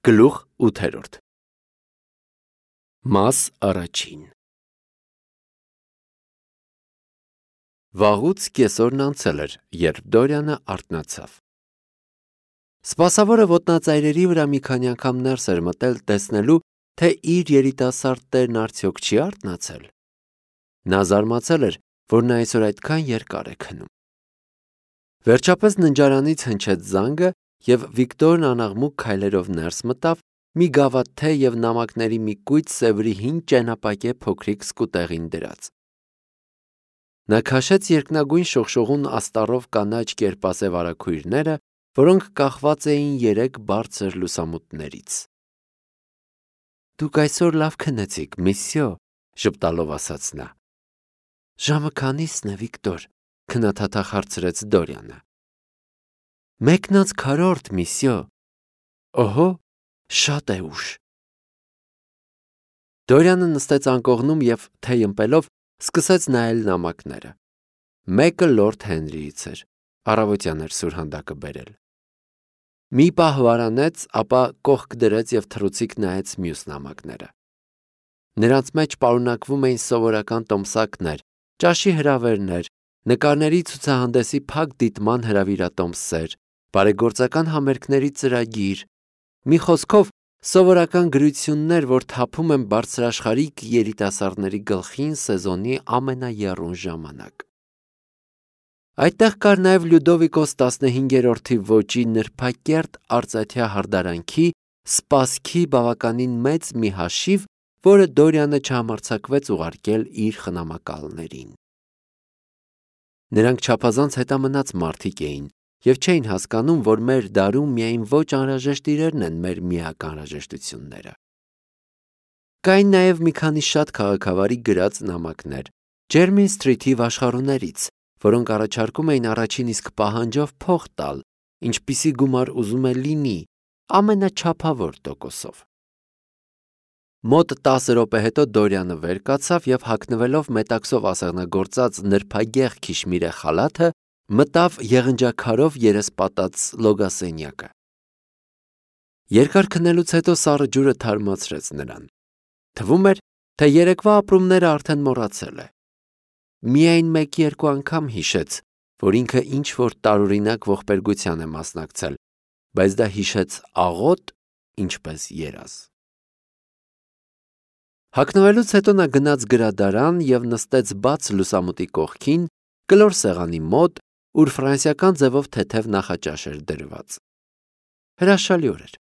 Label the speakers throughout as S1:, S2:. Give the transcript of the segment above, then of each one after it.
S1: Գլուխ 8 Մաս առաջին Վաղուց կեսօրն անցել էր, երբ Դորյանը արթնացավ։ Սպասավորը ոտնածայրերի վրա մի քանի անգամ ներս էր մտել տեսնելու, թե իր երիտասարդ տերն արդյոք չի արթնացել։ Նա զարմացել էր, որ նա այսօր այդքան երկար է քնում։ Վերջապես ննջարանից հնչեց զանգը, և Վիկտորն անաղմուկ քայլերով ներս մտավ, մի գավաթ թեյ և նամակների մի կույտ սևրի հին ճենապակե փոքրիկ սկուտեղին դրած։ Նա քաշեց երկնագույն շողշողուն աստառով կանաչ կերպասև արագույրները, որոնք կախված էին 3 բարձր լուսամուտներից։ «Դուք այսօր լավ քնեցիք, միսյո», ժպտալով ասաց նա։ «Ժամը քանի՞սն է, Վիկտոր», քնաթաթախ հարցրեց Դորյանը։ 1:40, միսյո։ Օհո, շատ է ուշ։ Դորյանը նստեց անկողնում և թեյ ըմպելով սկսեց նայել նամակները։ Մեկը Լորդ Հենրիից էր, առավոտյան էր սուրհանդակը բերել։ Մի պահ վարանեց, ապա կողք դրեց և թռուցիկ նայեց մյուս նամակները։ Նրանց մեջ պարունակվում էին սովորական տոմսակներ, ճաշի հրավերներ, նկարների ցուցահանդեսի փակ դիտման հրավիրատոմսեր, բարեգործական համերգների ծրագիր, մի խոսքով սովորական գրություններ, որ թափում են բարձրաշխարհիկ երիտասարդների գլխին սեզոնի ամենաեռուն ժամանակ։ Այդտեղ կար նաև Լյուդովիկոս 15-րդի ոճի նրբակերտ արծաթյա հարդարանքի սպասքի բավականին մեծ մի հաշիվ, որը Դորյանը չհամարձակվեց ուղարկել իր խնամակալներին։ Նրանք չափազանց հետամնաց մարդիկ էին և չէին հասկանում, որ մեր դարում միայն ոչ անհրաժեշտ իրերն են մեր միակ անհրաժեշտությունները։ Կային նաև մի քանի շատ քաղաքավարի գրած նամակներ Ջերմին Սթրիթի վաշխառուներից, որոնք առաջարկում էին առաջին իսկ պահանջով փող տալ, ինչպիսի գումար ուզում է լինի, ամենաչափավոր տոկոսով։ Մոտ 10 րոպե հետո Դորյանը վեր կացավ և հագնվելով մետաքսով ասեղնագործած նրբագեղ քիշմիրե խալաթը, մտավ եղնջաքարով երեսպատած լոգասենյակը։ Երկար քնելուց հետո սառը ջուրը թարմացրեց նրան։ Թվում էր, թե երեկվա ապրումները արդեն մոռացել է։ Միայն 1-2 անգամ հիշեց, որ ինքը ինչ-որ տարօրինակ ողբերգության է մասնակցել, բայց դա հիշեց աղոտ, ինչպես երազ։ Հագնվելուց հետո նա գնաց գրադարան և նստեց բաց լուսամուտի կողքին, կլոր սեղանի մոտ, ուր ֆրանսիական ձևով թեթև նախաճաշ էր դրված։ Հրաշալի օր էր։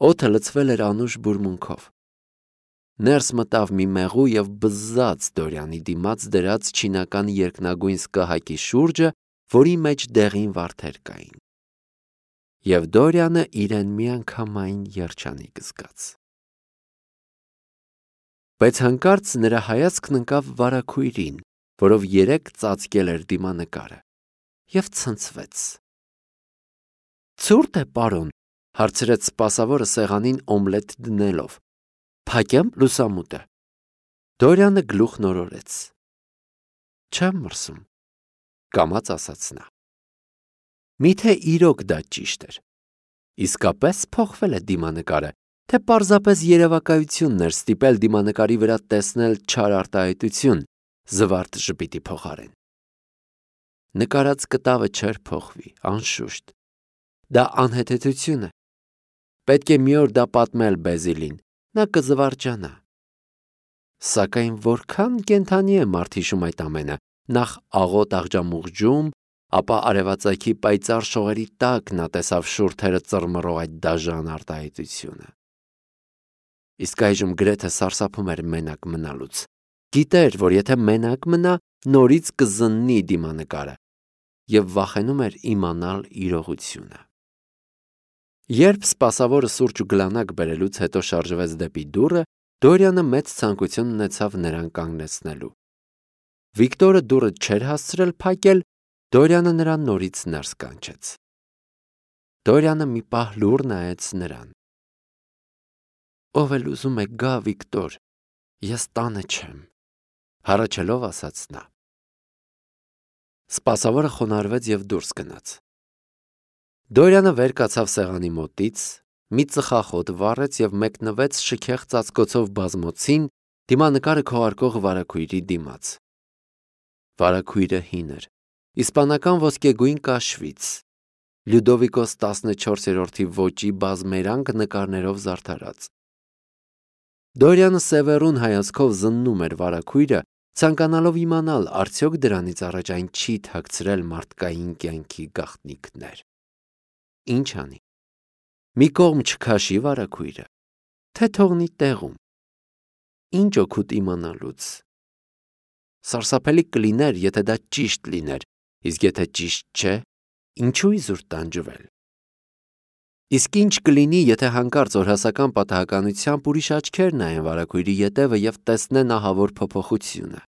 S1: Օդը լցվել էր անուշ բուրմունքով։ Ներս մտավ մի մեղու և բզզաց Դորյանի դիմաց դրած չինական երկնագույն սկահակի շուրջը, որի մեջ դեղին վարդեր կային։ Եվ Դորյանը իրեն միանգամայն երջանիկ զգաց։ Բայց հանկարծ նրա հայացքն ընկավ վարագույրին, որով 3 ծածկել էր դիմանկարը, և ցնցվեց։ «Ցուրտ է, պարոն», հարցրեց սպասավորը սեղանին օմլետ դնելով։ «Փակեմ լուսամուտը»։ Դորյանը գլուխ նորորեց։ «Չեմ մրսում», կամաց ասաց նա։ Միթե իրոք դա ճիշտ էր։ Իսկապես փոխվել է դիմանկարը, թե պարզապես երևակայությունն էր ստիպել դիմանկարի վրա տեսնել չար արտահայտություն, զվարթ ժպիտի փոխարեն։ Նկարած կտավը չէր փոխվի, անշուշտ։ Դա անհեթեթություն է։ Պետք է մի օր դա պատմել Բեզիլին, նա կզվարճանա։ Սակայն որքան կենդանի է մարդ հիշում այդ ամենը, նախ աղոտ աղջամուղջում, ապա արևածագի պայծառ շողերի տակ նա տեսավ շուրթերը ծռմռող այդ դաժան արտահայտությունը։ Իսկ այժմ գրեթե սարսափում էր մենակ մնալուց։ Գիտեր, որ եթե մենակ մնա, նորից կզննի դիմանկարը, և վախենում էր իմանալ իրողությունը։ Երբ սպասավորը սուրճ ու գլանակ բերելուց հետո շարժվեց դեպի դուռը, Դորյանը մեծ ցանկություն ունեցավ նրան կանգնեցնելու։ Վիկտորը դուռը չէր հասցրել փակել, Դորյանը նրան նորից ներս կանչեց։ Դորյանը մի պահ լուռ նայեց նրան։ «Ով էլ ուզում է գա, Վիկտոր, ես տանը չեմ», հառաչելով ասաց նա։ Սպասավորը խոնարհվեց և դուրս գնաց։ Դորյանը վեր կացավ սեղանի մոտից, մի ծխախոտ վառեց և մեկնվեց շքեղ ծածկոցով բազմոցին դիմանկարը քողարկող վարագույրի դիմաց։ Վարագույրը հին էր, իսպանական ոսկեգույն կաշվից, Լյուդովիկոս 14-րդի ոճի բազմերանգ նկարներով զարդարած։ Դորյանը սևեռուն հայացքով զննում էր վարագույրը, ցանկանալով իմանալ, արդյոք դրանից առաջ այն չի թաքցրել մարդկային կյանքի գաղտնիքներ։ Ինչ անի։ Մի կողմ չքաշի վարագույրը, թե թողնի տեղում։ Ինչ օգուտ իմանալուց։ Սարսափելի կլիներ, եթե դա ճիշտ լիներ, իսկ եթե ճիշտ չէ, ինչու իզուր տանջվել։ Իսկ ինչ կլինի, եթե հանկարծ օրհասական պատահականությամբ ուրիշ աչքեր նայեն վարագույրի ետևը և տեսնեն ահավոր փոփոխությունը։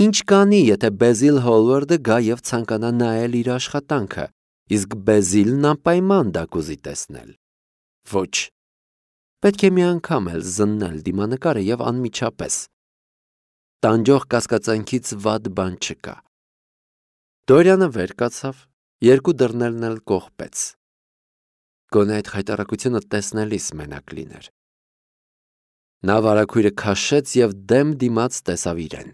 S1: Ինչ կանի, եթե Բեզիլ Հոլվարդը գա և ցանկանա նայել իր աշխատանքը, իսկ Բեզիլն անպայման դա կուզի տեսնել։ Ոչ։ Պետք է մի անգամ էլ զննել դիմանկարը և անմիջապես։ Տանջող կասկածանքից վատ բան չկա։ Դորյանը վեր կացավ, երկու դռներն էլ կողպեց։ Գոնե այդ խայտառակությունը տեսնելիս մենակ լիներ։ Նա վարագույրը քաշեց և դեմ դիմաց տեսավ իրեն։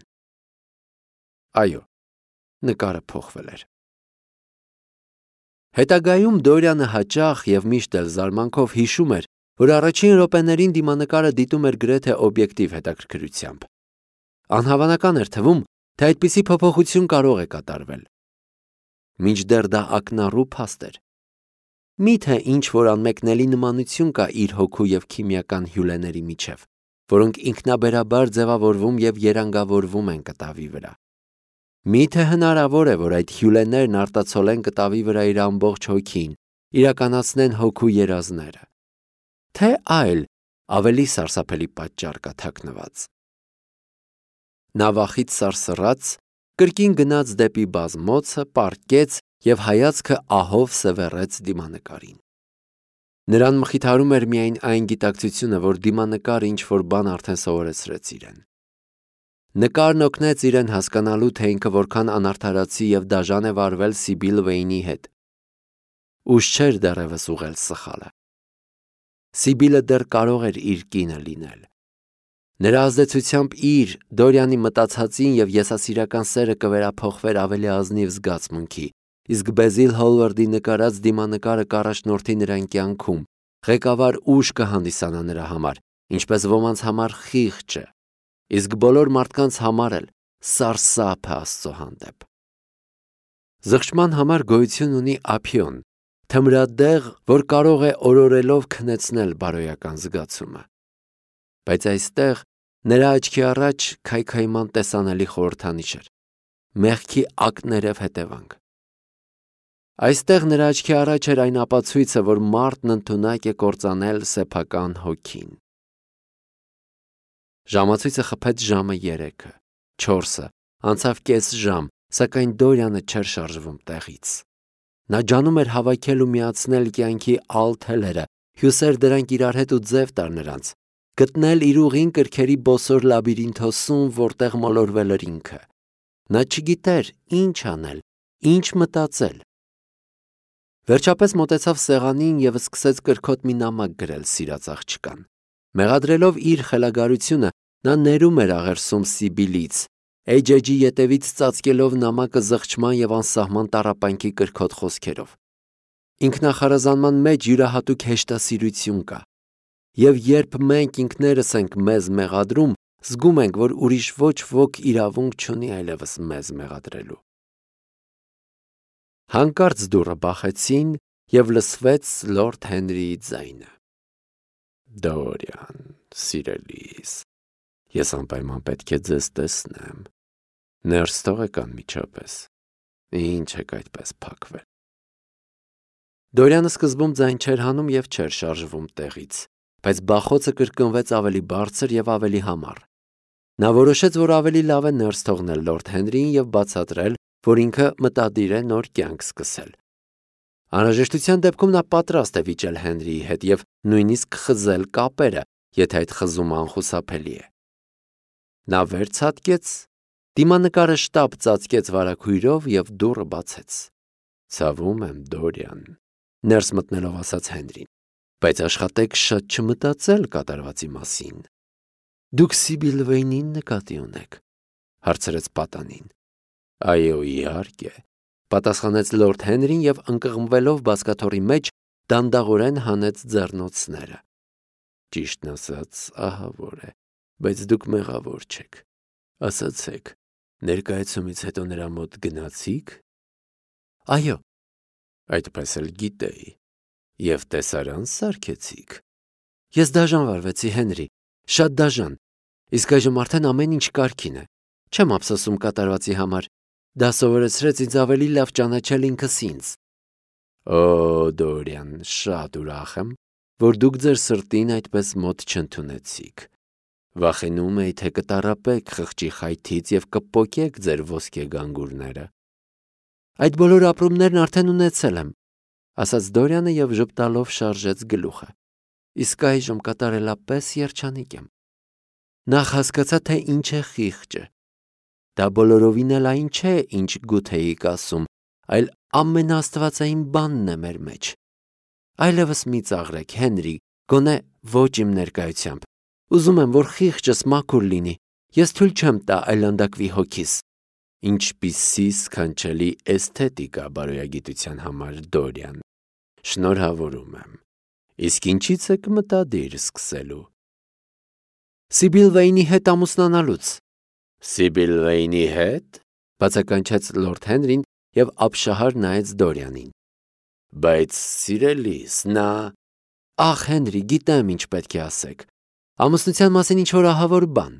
S1: Այո, նկարը փոխվել էր։ Հետագայում Դորյանը հաճախ և միշտ էլ զարմանքով հիշում էր, որ առաջին րոպեներին դիմանկարը դիտում էր գրեթե օբյեկտիվ հետաքրքրությամբ։ Անհավանական էր թվում, թե այդպիսի փոփոխություն կարող է կատարվել։ Մինչդեռ դա ակնառու փաստ էր։ Միթե ինչ-որ անմեկնելի նմանություն կա իր հոգու և քիմիական հյուլեների միջև, որոնք ինքնաբերաբար ձևավորվում և երանգավորվում են կտավի վրա։ Միթե հնարավոր է, որ այդ հյուլեներն արտացոլեն կտավի վրա իր ամբողջ հոգին, իրականացնեն հոգու երազները։ Թե այլ, ավելի սարսափելի պատճառ կա թաքնված։ Նա վախից սարսռաց, կրկին գնաց դեպի բազմոցը, պառկեց և հայացքը ահով սևեռեց դիմանկարին։ Նրան մխիթարում էր միայն այն գիտակցությունը, որ դիմանկարը ինչ-որ բան արդեն սովորեցրեց իրեն։ Նկարն օգնեց իրեն հասկանալու, թե ինքը որքան անարդարացի և դաժան է վարվել Սիբիլ Վեյնի հետ։ Ուշ չէր դեռևս ուղղել սխալը։ Սիբիլը դեռ կարող էր իր կինը լինել։ Նրա ազդեցությամբ իր, Դորյանի մտածածին և եսասիրական սերը կվերափոխվեր ավելի ազնիվ զգացմունքի, իսկ Բեզիլ Հոլվարդի նկարած դիմանկարը կառաջնորդի նրան կյանքում, ղեկավար ուժ կհանդիսանա նրա համար, ինչպես ոմանց համար խիղճը, իսկ բոլոր մարդկանց համար էլ սարսափ է Աստծո հանդեպ։ Զղջման համար գոյություն ունի ափիոն, թմրադեղ, որ կարող է օրորելով քնեցնել բարոյական զգացումը։ Բայց այստեղ նրա աչքի առաջ քայքայման տեսանելի խորհրդանիշ էր, մեղքի ակներև հետևանք։ Այստեղ նրա աչքի առաջ էր այն ապացույցը, որ մարդն ընդունակ է կործանել սեփական հոգին։ Ժամացույցը խփեց ժամը 3-ը, 4-ը, անցավ կես ժամ, սակայն Դորյանը չէր շարժվում տեղից։ Նա ջանում էր հավաքել ու միացնել կյանքի ալ-թելերը, հյուսեր դրանք իրար հետ ու ձև տար նրանց, գտնել իր ուղին կրքերի բոսոր լաբիրինթոսում, որտեղ մոլորվել էր ինքը։ Նա չգիտեր ինչ անել, ինչ մտածել։ Վերջապես մոտեցավ սեղանին և սկսեց կրքոտ մի նամակ գրել սիրած աղջկան։ Մեղադրելով իր խելագարությունը, նա ներում էր աղերսում Սիբիլից, էջի ետևից ծածկելով նամակը զղջման և անսահման տառապանքի կրքոտ խոսքերով։ Ինքնախարազանման մեջ յուրահատուկ հեշտասիրություն կա, և երբ մենք ինքներս ենք մեզ մեղադրում, զգում ենք, որ ուրիշ ոչ ոք իրավունք չունի այլևս մեզ մեղադրելու։ Հանկարծ դուռը բախեցին և լսվեց լորդ Հենրիի ձայնը. Դորյան, սիրելիս, ես անպայման պետք է ձեզ տեսնեմ։ Ներս թողեք անմիջապես։ Ինչ եք այդպես փակվել։ Դորյանը սկզբում ձայն չէր հանում և չէր շարժվում տեղից, բայց բախոցը կրկնվեց ավելի բարձր և ավելի համառ։ Նա որոշեց, որ ավելի լավ է ներս թողնել լորդ Հենրիին և բացատրել, որ ինքը մտադիր է նոր կյանք սկսել։ Անհրաժեշտության դեպքում նա պատրաստ է վիճել Հենրիի հետ և նույնիսկ խզել կապերը, եթե այդ խզումը անխուսափելի է։ Նա վեր ցատկեց, դիմանկարը շտապ ծածկեց վարագույրով և դուռը բացեց։ Ցավում եմ, Դորյան, ներս մտնելով ասաց Հենրին։ Բայց աշխատեք շատ չմտածել կատարվածի մասին։ Դուք Սիբիլ Վեյնին նկատի ունեք, հարցրեց պատանին։ Այո, իհարկե, պատասխանեց լորդ Հենրին և ընկղմվելով բազկաթոռի մեջ դանդաղորեն հանեց ձեռնոցները։ Ճիշտն ասած, ահավոր է, բայց դուք մեղավոր չեք։ Ասացեք, ներկայացումից հետո նրա մոտ գնացի՞ք։ Այո, այդպես էլ գիտեի։ Եվ տեսարան սարքեցիք։ Ես դաժան վարվեցի, Հենրի, շատ դաժան, իսկ այժմ արդեն ամեն ինչ կարգին է։ Չեմ ափսոսում կատարվածի համար։ Դա սովորեցրեց ինձ ավելի լավ ճանաչել ինքս ինձ։ Օ, Դորիան, շատ ուրախ եմ, որ դուք ձեր սրտին այդպես մոտ չընդունեցիք։ Վախենում էի, թե կտառապեք խղճի խայթից և կպոկեք ձեր ոսկե գանգուրները։ Այդ բոլոր ապրումներն արդեն ունեցել եմ, ասաց Դորյանը և ժպտալով շարժեց գլուխը։ Իսկ այժմ կատարելապես երջանիկ եմ։ Նախ հասկացա, թե ինչ է խիղճը։ Դա բոլորովին էլ այն չէ, ինչ Գութեիք ասում, այլ ամենաաստվածային բանն է մեր մեջ։ Այլևս մի ծաղրեք, Հենրի, գոնե ոչ իմ ներկայությամբ։ Ուզում եմ, որ խիղճս մաքուր լինի։ Ես թույլ չեմ տա այլանդակվի հոգիս։ Ինչպիսի սքանչելի էսթետիկա բարոյագիտության համար, Դորիան։ Շնորհավորում եմ։ Իսկ ինչից եք մտադիր սկսելու։ Սիբիլ Վեյնի հետ ամուսնանալուց։ Սիբիլ Վեյնի հետ, բացականչեց լորդ Հենրին և ապշահար նայեց Դորյանին։ Բայց սիրելիս, նա… Ախ, Հենրի, գիտեմ ինչ պետք է ասեք։ Ամուսնության մասին ինչ-որ ահավոր բան։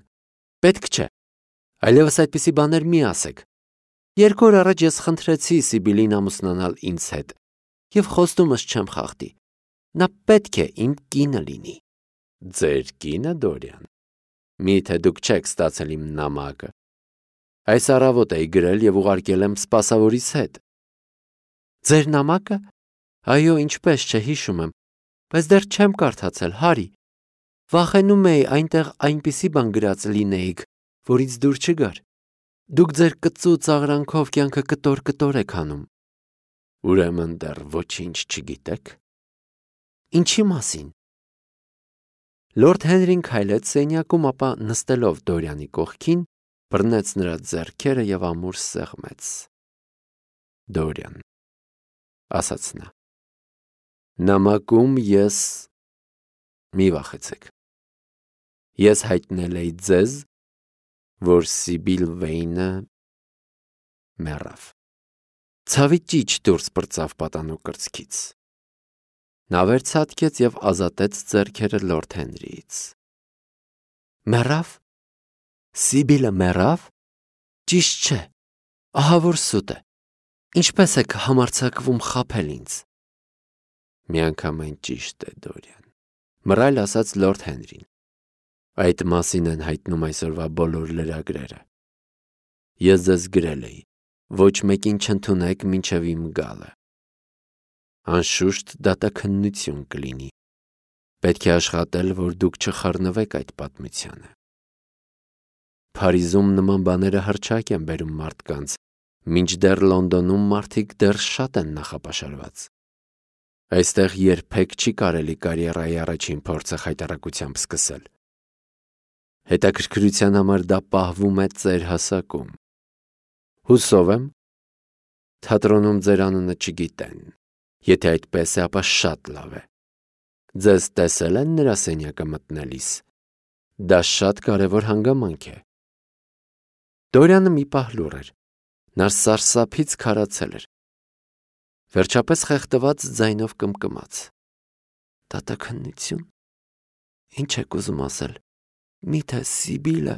S1: Պետք չէ։ Այլևս այդպիսի բաներ մի ասեք։ 2 օր առաջ ես խնդրեցի Սիբիլին ամուսնանալ ինձ հետ և խոստումս չեմ խախտի։ Նա պետք է իմ կինը լինի։ Ձեր կինը, Դորյան։ Միթե դուք չեք ստացել իմ նամակը։ Այս առավոտ էի գրել և ուղարկել եմ սպասավորիս հետ։ Ձեր նամակը։ Այո, ինչպես չէ, հիշում եմ, բայց դեռ չեմ կարդացել, Հարի։ Վախենում էի այնտեղ այնպիսի բան գրած լինեիք, որից դուր չգար։ Դուք ձեր կծու ծաղրանքով կյանքը կտոր-կտոր եք անում։ Ուրեմն դեռ ոչինչ չգիտեք։ Ինչի մասին։ Լորդ Հենրին քայլեց սենյակում, ապա նստելով Դորյանի կողքին, բռնեց նրա ձեռքերը և ամուր սեղմեց։ Դորյան, ասաց նա, նամակում ես… Մի վախեցեք։ Ես հայտնել էի ձեզ, որ Սիբիլ Վեյնը մեռավ։ Ցավի ճիչ դուրս պրծավ պատանու կրծքից։ Նա վերցատկեց և ազատեց ձեռքերը լորդ Հենրիից։ Մեռավ։ Սիբիլը մեռավ։ Ճիշտ չէ։ Ահավոր սուտ է։ Ինչպես եք համարձակվում խաբել ինձ։ Միանգամայն ճիշտ է, Դորյան, մռայլ ասաց լորդ Հենրին։ Այդ մասին են հայտնում այսօրվա բոլոր լրագրերը։ Ես ձեզ գրել էի, ոչ մեկին չընդունեք մինչև իմ գալը։ Անշուշտ դատաքննություն կլինի։ Պետք է աշխատել, որ դուք չխառնվեք այդ պատմությանը։ Փարիզում նման բաները հռչակ են բերում մարդկանց, մինչդեռ Լոնդոնում մարդիկ դեռ շատ են նախապաշարված։ Այստեղ երբեք չի կարելի կարիերայի առաջին փորձը խայտառակությամբ սկսել։ Հետաքրքրության համար դա պահվում է ծեր հասակում։ Հուսով եմ, թատրոնում ձեր անունը չգիտեն։ Եթե այդպես է, ապա շատ լավ է։ Ձեզ տեսել են նրա սենյակը մտնելիս։ Դա շատ կարևոր հանգամանք է։ Դորյանը մի պահ լուռ էր։ Նա սարսափից քարացել էր։ Վերջապես խեղդված ձայնով կմկմաց. Դատաքննություն։ Ինչ եք ուզում ասել։ Միթե Սիբիլը։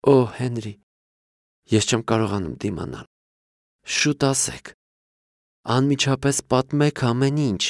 S1: Օ, Հենրի, ես չեմ կարողանում դիմանալ։ Շուտ ասեք։ Անմիջապես պատմեք ամեն ինչ։